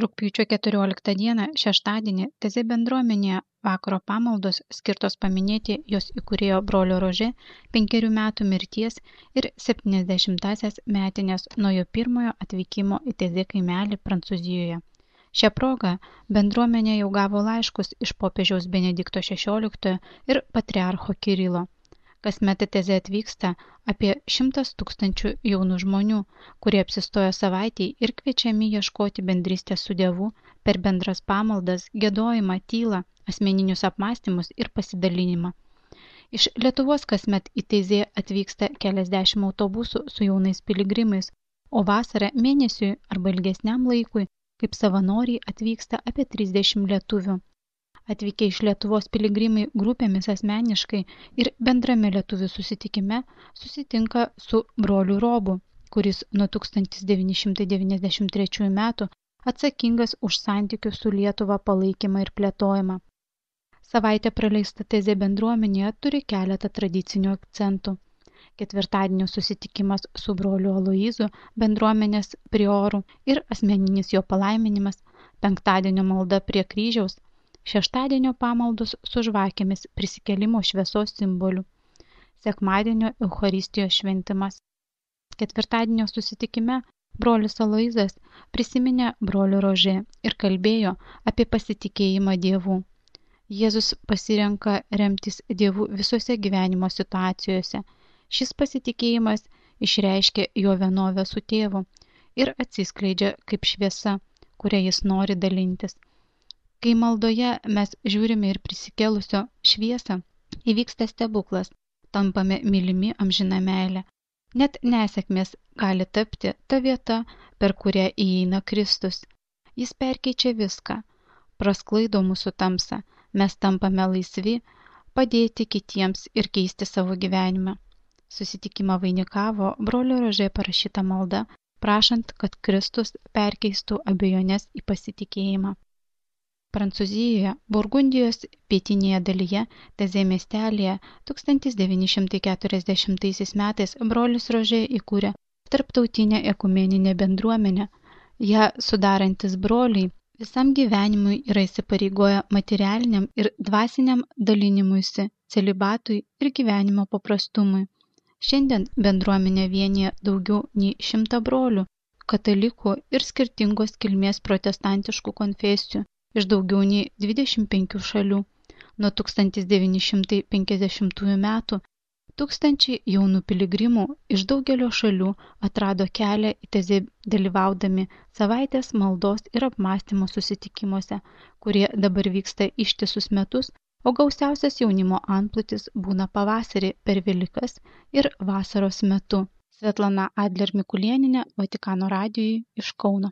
Rugpjūčio 14 dieną, šeštadienį, Tezė bendruomenėje vakaro pamaldos skirtos paminėti jos įkūrėjo brolio Rožė 5 metų mirties ir 70-asias metinės nuo jo pirmojo atvykimo į Tezė kaimelį Prancūzijoje. Šią progą bendruomenė jau gavo laiškus iš popiežiaus Benedikto XVI ir patriarcho Kirilo. Kasmet į Tezę atvyksta apie 100 000 jaunų žmonių, kurie apsistoja savaitėj ir kviečiami ieškoti bendrystės su Dievu per bendras pamaldas, giedojimą, tylą, asmeninius apmąstymus ir pasidalinimą. Iš Lietuvos kasmet į Tezę atvyksta keliasdešimt autobusų su jaunais piligrimais, o vasarą mėnesiui arba ilgesniam laikui kaip savanoriai atvyksta apie 30 lietuvių. Atvykę iš Lietuvos piligrimai grupėmis asmeniškai ir bendrame lietuvių susitikime susitinka su broliu Robu, kuris nuo 1993 metų atsakingas už santykių su Lietuva palaikymą ir plėtojimą. Savaitė praleista Tezė bendruomenėje turi keletą tradicinių akcentų. Ketvirtadienio susitikimas su broliu Aloizu, bendruomenės prioru ir asmeninis jo palaiminimas, penktadienio malda prie kryžiaus, šeštadienio pamaldos su žvakėmis prisikėlimo šviesos simboliu, sekmadienio Eucharistijos šventimas. Ketvirtadienio susitikime brolis Aloizas prisiminė brolio Rožė ir kalbėjo apie pasitikėjimą Dievu. Jėzus pasirenka remtis Dievu visose gyvenimo situacijose. Šis pasitikėjimas išreiškia jo vienovę su tėvu ir atsiskleidžia kaip šviesa, kuria jis nori dalintis. Kai maldoje mes žiūrime ir prisikėlusio šviesą, įvyksta stebuklas, tampame mylimi amžina meilė. Net nesėkmės gali tapti ta vieta, per kurią įeina Kristus. Jis perkeičia viską, prasklaido mūsų tamsą, mes tampame laisvi, padėti kitiems ir keisti savo gyvenimą. Susitikimą vainikavo brolio Rožė parašyta malda, prašant, kad Kristus perkeistų abejonės į pasitikėjimą. Prancūzijoje, Burgundijos pietinėje dalyje, Tezė miestelėje 1940 metais brolis Rožė įkūrė tarptautinę ekumeninę bendruomenę. Ją sudarantis broliai visam gyvenimui yra įsipareigoję materialiniam ir dvasiniam dalinimuisi, celibatui ir gyvenimo paprastumui. Šiandien bendruomenė vienija daugiau nei 100 brolių, katalikų ir skirtingos kilmės protestantiškų konfesijų iš daugiau nei 25 šalių. Nuo 1950 metų tūkstančiai jaunų piligrimų iš daugelio šalių atrado kelią į Tezę dalyvaudami savaitės maldos ir apmąstymo susitikimuose, kurie dabar vyksta ištisus metus, o gausiausias jaunimo antplūdis būna pavasarį per Velykas ir vasaros metu. Svetlana Adler Mikulėnienė, Vatikano radijui iš Kauno.